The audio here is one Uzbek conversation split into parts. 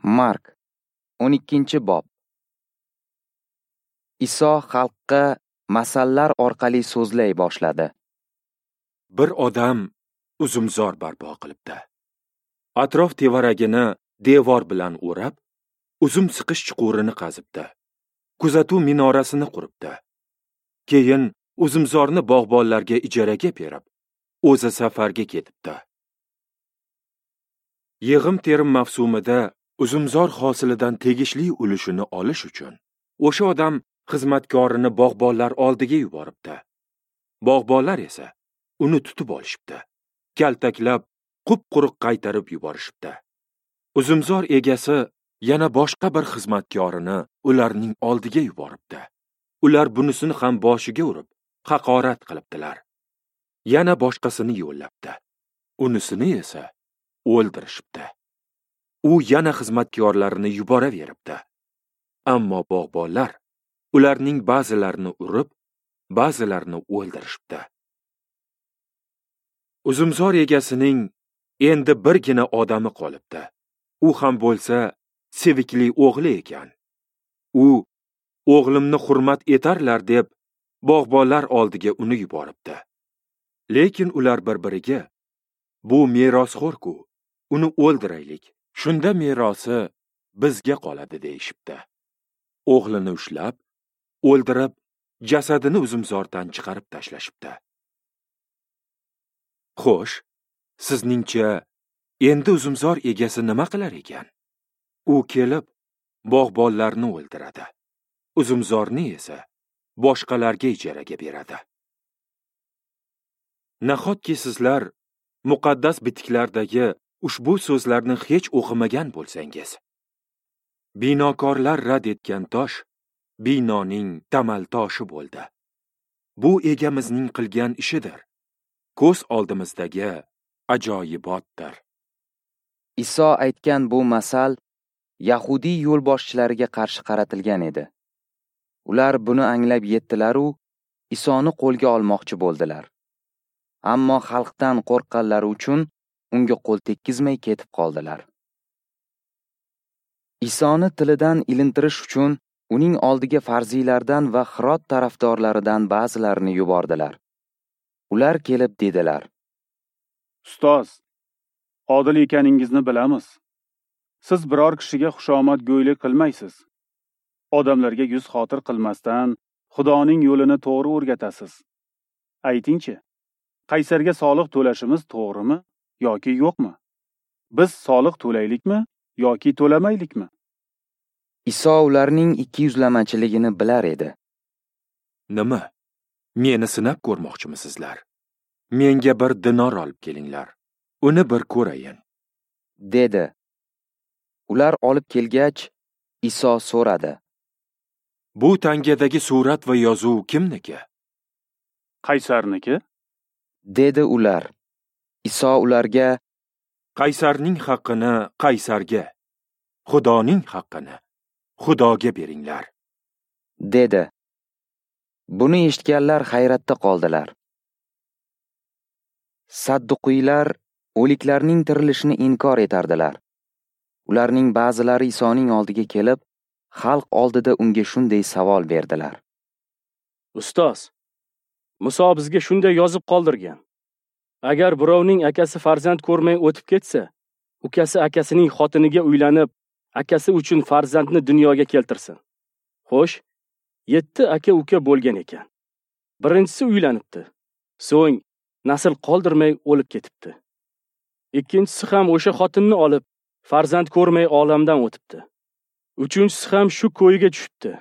Mark 12-bob. Iso xalqqa masallar orqali so'zlay boshladi. Bir odam uzumzor barpo qilibdi. Atrof tevaragini devor bilan o'rab, uzum siqish chuqurini qazibdi. Kuzatuv minorasini quribdi. Keyin uzumzorni bog'bonlarga ijaraga berib, o'zi safarga ketibdi. Yig'im terim mavsumida uzumzor hosilidan tegishli ulushini olish uchun o'sha odam xizmatkorini bog'bonlar oldiga yuboribdi. Bog'bonlar esa uni tutib olishibdi. Kaltaklab, qup-quruq qaytarib yuborishibdi. Uzumzor egasi yana boshqa bir xizmatkorini ularning oldiga yuboribdi. Ular bunisini ham boshiga urib, haqorat qilibdilar. Yana boshqasini yo'llabdi. Unisini esa o'ldirishibdi. U yana xizmatkorlarini yuboraveribdi. Ammo bog'bonlar ularning ba'zilarini urib, ba'zilarini o'ldirishibdi. Uzumzor egasining endi birgina odami qolibdi. U ham bo'lsa sevikli o'g'li ekan. U o'g'limni hurmat etarlar deb bog'bonlar oldiga uni yuboribdi. Lekin ular bir-biriga bu merosxo'r-ku, uni o'ldiraylik. Shunda merosi bizga qoladi deyishibdi. O'g'lini ushlab, o'ldirib, jasadini uzumzordan chiqarib tashlashibdi. Xo'sh, sizningcha endi uzumzor egasi nima qilar ekan? U kelib bog'bonlarni o'ldiradi. Uzumzorni esa boshqalarga ijaraga beradi. Nahotki sizlar muqaddas bitiklardagi ushbu so'zlarni hech o'qimagan bo'lsangiz? Binokorlar rad etgan tosh binoning tamal toshi bo'ldi. Bu egamizning qilgan ishidir. Ko'z oldimizdagi ajoyibotdir. Iso aytgan bu masal yahudiy yo'lboshchilariga qarshi qaratilgan edi. Ular buni anglab yetdilar-u, Isoni qo'lga olmoqchi bo'ldilar. Ammo xalqdan qo'rqqanlari uchun unga qo'l tekkizmay ketib qoldilar. Isoni tilidan ilintirish uchun uning oldiga farziylardan va Hirot tarafdorlaridan ba'zilarini yubordilar. Ular kelib dedilar: Ustoz, odil ekaningizni bilamiz. Siz biror kishiga xushomadgo'ylik qilmaysiz. Odamlarga yuz xotir qilmasdan Xudoning yo'lini to'g'ri o'rgatasiz. Aytingchi, qaysarga soliq to'lashimiz to'g'rimi yoki yo'qmi? Biz soliq to'laylikmi yoki to'lamaylikmi? Iso ularning ikkiyuzlamachiligini bilar edi. Nima? Meni sinab ko'rmoqchimisizlar? Menga bir dinor olib kelinglar. Uni bir ko'rayin, dedi. Ular olib kelgach, Iso so'radi: Bu tangadagi surat va yozuv kimniki? Qaysarniki, dedi ular. Iso ularga: Qaysarning haqqini qaysarga, Xudoning haqqini Xudoga beringlar, dedi. Buni eshitganlar hayratda qoldilar. Sadduqiylar o'liklarning tirilishini inkor etardilar. Ularning ba'zilari Isoning oldiga kelib, xalq oldida unga shunday savol berdilar: Ustoz, Muso bizga shunday yozib qoldirgan. Agar birovning akasi farzand ko'rmay o'tib ketsa, ukasi akasining xotiniga uylanib, akasi uchun farzandni dunyoga keltirsin. Xo'sh, 7 aka-uka bo'lgan ekan. Birinchisi uylanibdi, so'ng nasl qoldirmay o'lib ketibdi. Ikkinchisi ham o'sha xotinni olib, farzand ko'rmay olamdan o'tibdi. Uchinchisi ham shu ko'yiga tushibdi.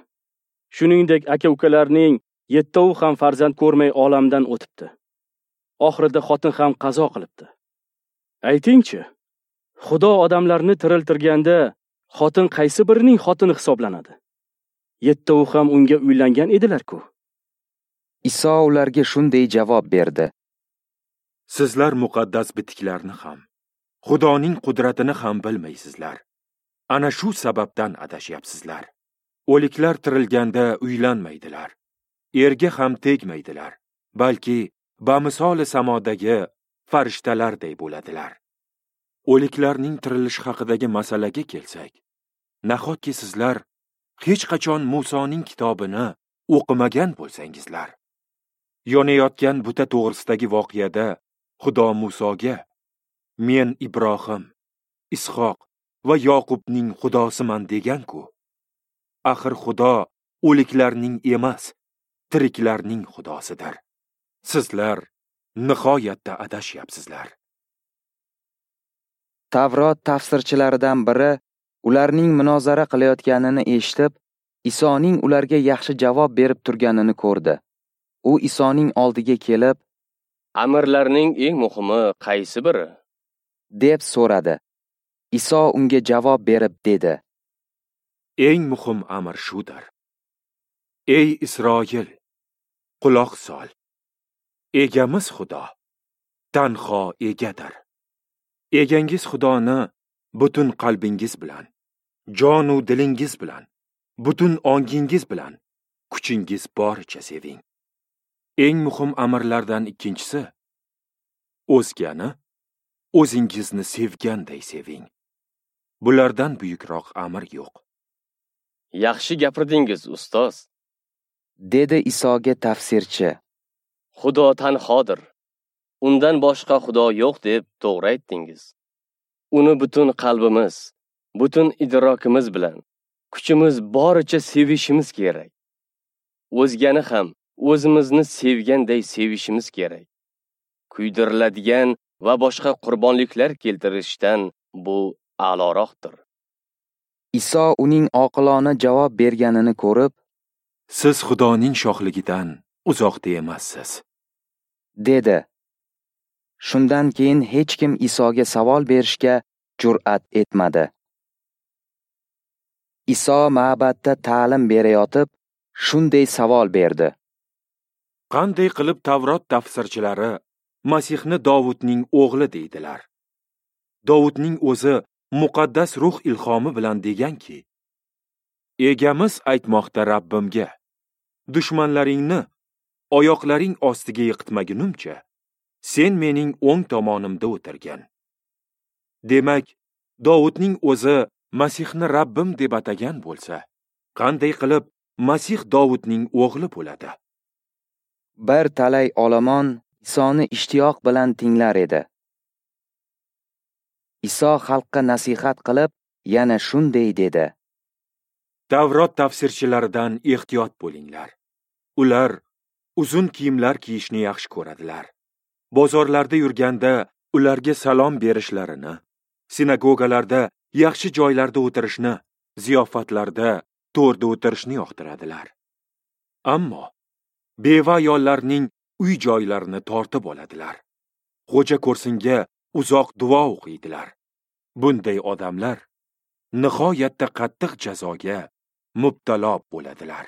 Shuningdek, aka-ukalarning 7 ham farzand ko'rmay olamdan o'tibdi. Oxirida xotin ham qazo qilibdi. Aytingchi, Xudo odamlarni tiriltirganda xotin qaysi birining xotini hisoblanadi? 7 ham unga uylangan edilar-ku. Iso ularga shunday javob berdi: Sizlar muqaddas bitiklarni ham, Xudoning qudratini ham bilmaysizlar. Ana shu sababdan adashyapsizlar. O'liklar tirilganda uylanmaydilar, erga ham tegmaydilar, balki bamisoli samodagi farishtalarday bo'ladilar. O'liklarning tirilishi haqidagi masalaga kelsak, Nahotki sizlar hech qachon Musoning kitobini o'qimagan bo'lsangizlar? Yonayotgan buta to'g'risidagi voqeada Xudo Musoga: "Men Ibrohim, Ishoq va Yoqubning Xudosiman" degan-ku. Axir Xudo o'liklarning emas, tiriklarning Xudosidir. Sizlar nihoyatda adashyapsizlar. Tavrot tafsirchilaridan biri ularning munozara qilayotganini eshitib, Isoning ularga yaxshi javob berib turganini ko'rdi. U Isoning oldiga kelib, "Amirlarning eng muhimi qaysi biri?" deb so'radi. Iso unga javob berib dedi: "Eng muhim amr shudir: Ey Isroil, quloq sol. Egamiz Xudo tanho egadir. Egangiz Xudoni butun qalbingiz bilan, jon u dilingiz bilan, butun ongingiz bilan, kuchingiz boricha seving. Eng muhim amirlardan ikkinchisi: o'zgani o'zingizni sevganday seving. Bulardan buyukroq amr yo'q." "Yaxshi gapirdingiz, ustoz," dedi Isoga tafsirchi. "Xudo tanhodir. Undan boshqa Xudo yo'q deb to'g'ri aytdingiz. Uni butun qalbimiz, butun idrokimiz bilan, kuchimiz boricha sevishimiz kerak. O'zgani ham o'zimizni sevganday sevishimiz kerak. Kuydiriladigan va boshqa qurbonliklar keltirishdan bu a'loroqdir." Iso uning oqilona javob berganini ko'rib, "Siz Xudoning shohligidan uzoqda emassiz," dedi. Shundan keyin hech kim Isoga savol berishga jur'at etmadi. Iso ma'batda ta'lim berayotib, shunday savol berdi: "Qanday qilib Tavrot tafsirchilari Masihni Dovudning o'g'li deydilar? Dovudning o'zi muqaddas ruh ilhomi bilan deganki, Egamiz aytmoqda Rabbimga: dushmanlaringni oyoqlaring ostiga yiqitmagunimcha, sen mening o'ng tomonimda o'tirgin." Demak, Dovudning o'zi Masihni Rabbim deb atagan bo'lsa, qanday qilib Masih Dovudning o'g'li bo'ladi? Bir talay olomon Isoni ishtiyoq bilan tinglar edi. Iso xalqqa nasihat qilib, yana shunday dedi: Tavrot tafsirchilaridan ehtiyot bo'linglar. Ular uzun kiyimlar kiyishni yaxshi ko'radilar. Bozorlarda yurganda ularga salom berishlarini, sinagogalarda yaxshi joylarda o'tirishni, ziyofatlarda to'rda o'tirishni yoqtiradilar. Ammo beva ayollarning uy joylarini tortib oladilar. Xo'ja ko'rsinga uzoq duo o'qiydilar. Bunday odamlar nihoyatda qattiq jazoga mubtalo bo'ladilar.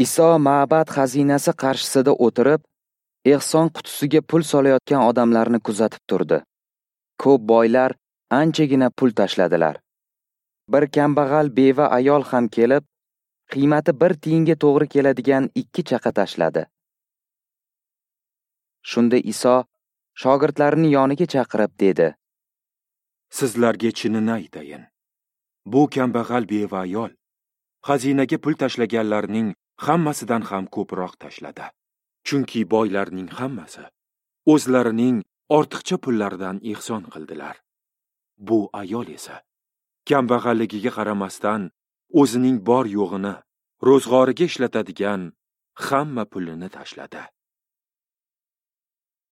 Iso ma'bad xazinasi qarshisida o'tirib, ehson qutisiga pul solayotgan odamlarni kuzatib turdi. Ko'p boylar anchagina pul tashladilar. Bir kambag'al beva ayol ham kelib, qiymati 1 tiyinga to'g'ri keladigan 2 chaqa tashladi. Shunda Iso shogirdlarini yoniga chaqirib dedi: "Sizlarga chinini aytayin. Bu kambag'al beva ayol xazinaga pul tashlaganlarning hammasidan ham ko'proq tashladi. Chunki boylarning hammasi o'zlarining ortiqcha pullaridan ehson qildilar. Bu ayol esa kambag'alligiga qaramasdan o'zining bor yo'g'ini ro'zg'origa ishlatadigan hamma pulini tashladi."